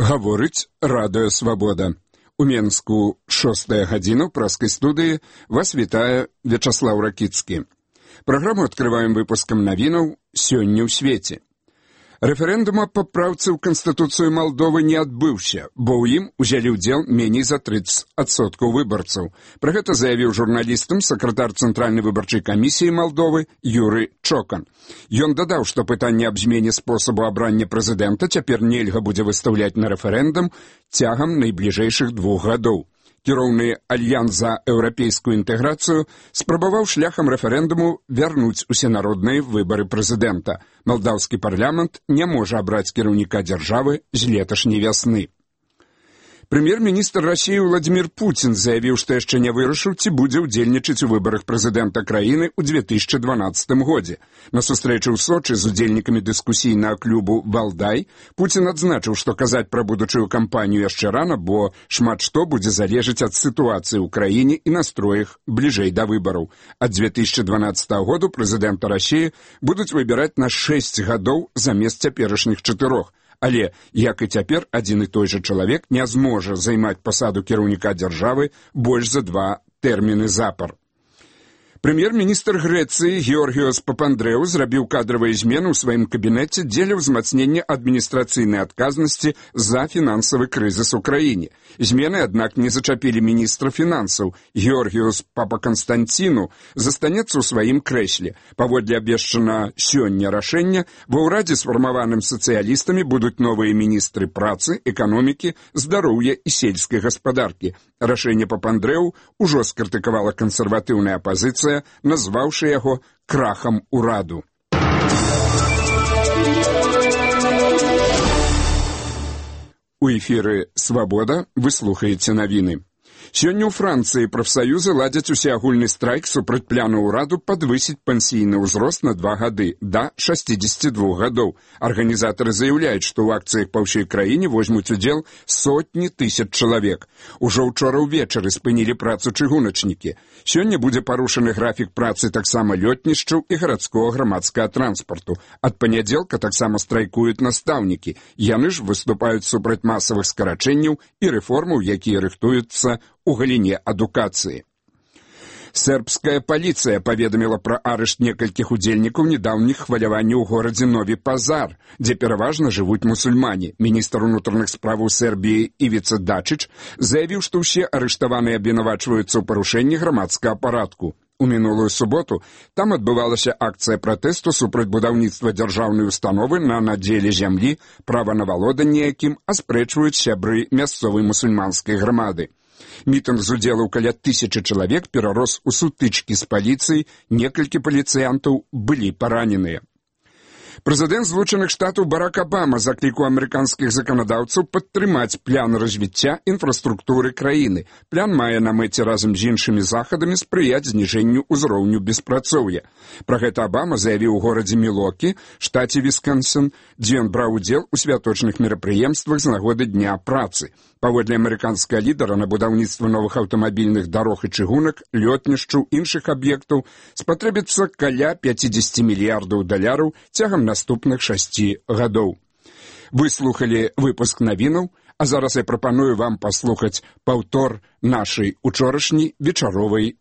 Гаворыць Радыё Свабода. У Менску 6-я гадзіна ў праскай студыі вас вітае Вячаслаў Ракіцкі. Праграму адкрываем выпускам навінаў «Сёння ў свеце». Рэферэндум аб папраўцы ў Канстытуцыю Малдовы не адбыўся, бо ў ім узялі ўдзел меней за 30% выбарцаў. Пра гэта заявіў журналістам сакратар Цэнтральнай выбарчай камісіі Малдовы Юры Чокан. Ён дадаў, што пытанне аб змене спосабу абрання прэзідэнта цяпер нельга будзе выстаўляць на рэферэндум цягам найбліжэйшых 2 гадоў. Кіроўны Альянс за еўрапейскую інтэграцыю спрабаваў шляхам рэферэндуму вярнуць усенародныя выбары прэзідэнта. Малдаўскі парламент не можа абраць кіраўніка дзяржавы з леташняй вясны. Прэм'ер-міністр Расіі Владзімір Пуцін заявіў, што яшчэ не вырашыў, ці будзе ўдзельнічаць у выбарах прэзідэнта краіны ў 2012 годзе. На сустрэчы ў Сочы з удзельнікамі дыскусійнага клубу «Валдай» Пуцін адзначыў, што казаць пра будучую кампанію яшчэ рана, бо шмат што будзе залежаць ад сітуацыі ў краіне і настроях бліжэй да выбараў. Ад 2012 году прэзідэнта Расіі будуць выбіраць на 6 гадоў замест цяперашніх 4. Але, як і цяпер, адзін і той жа чалавек не зможа займаць пасаду кіраўніка дзяржавы больш за 2 тэрміны запар. Прэм'ер-міністр Грэцыі Георгіос Папандрэу зрабіў кадравыя змены ў сваім кабінеце дзеля ўзмацнення адміністрацыйнай адказнасці за фінансавы крызіс у краіне. Змены, аднак, не зачапілі міністра фінансаў. Георгіос Папаканстанціну застанецца ў сваім крэсле. Паводле абвешчана сёння рашэння, ва ўрадзе сфармаваным сацыялістамі будуць новыя міністры працы, эканомікі, здароўя і сельскай гаспадаркі. Рашэнне Папандрэу ужо скрытыкавала кансерватыўная апазіцыя, назваўшы яго крахам ураду. У эфіры «Свабода» вы слухаеце навіны. Сёння ў Францыі прафсаюзы ладзяць усеагульны страйк супраць пляну ўраду падвысіць пенсійны ўзрост на 2 гады да 62 гадоў. Арганізатары заяўляюць, што ў акцыях па ўсёй краіне возьмуць удзел сотні тысяч чалавек. Ужо ўчора ўвечары спынілі працу чыгуначнікі. Сёння будзе парушаны графік працы таксама лётнішчаў і гарадскога грамадскага транспарту. Ад панядзелка таксама страйкуюць настаўнікі. Яны ж выступаюць супраць масавых скарачэнняў і рэформаў, якія рыхтуюцца у галіне адукацыі. Сербская паліцыя паведаміла пра арышт некалькіх удзельнікаў нядаўніх хваляванняў у горадзе Нові Пазар, дзе пераважна жывуць мусульмане. Міністр унутраных справаў Сербіі Івіца Дачыч заявіў, што ўсе арыштаваныя абвінавачваюцца ў парушэнні грамадскага парадку. У мінулую суботу там адбывалася акцыя пратэсту супраць будаўніцтва дзяржаўнай установы на надзеле зямлі, права на валоданне якім аспрэчваюць сябры мясцовай мусульманскай грамады. Мітынг з удзелу каля 1000 чалавек перарос у сутычкі з паліцыяй, некалькі паліцыянтаў былі параненыя. Прэзідэнт Злучаных Штатаў Барак Абама заклікаў амерыканскіх заканадаўцаў падтрымаць план развіцця інфраструктуры краіны. План мае на мэце разам з іншымі захадамі спрыяць зніжэнню ўзроўню беспрацоўя. Пра гэта Абама заявіў у горадзе Мілокі, штаце Вісконсін, дзе ён браў удзел у святочных мерапрыемствах з нагоды Дня працы. Паводле амерыканскага лідара на будаўніцтва новых аўтамабільных дарог і чыгунак, лётнішчаў, іншых аб'ектаў спатрэбіцца каля $50 мільярдаў цягам наступных 6 гадоў. Вы слухалі выпуск навінаў, а зараз я прапаную вам паслухаць паўтор нашай учорашняй вечаровай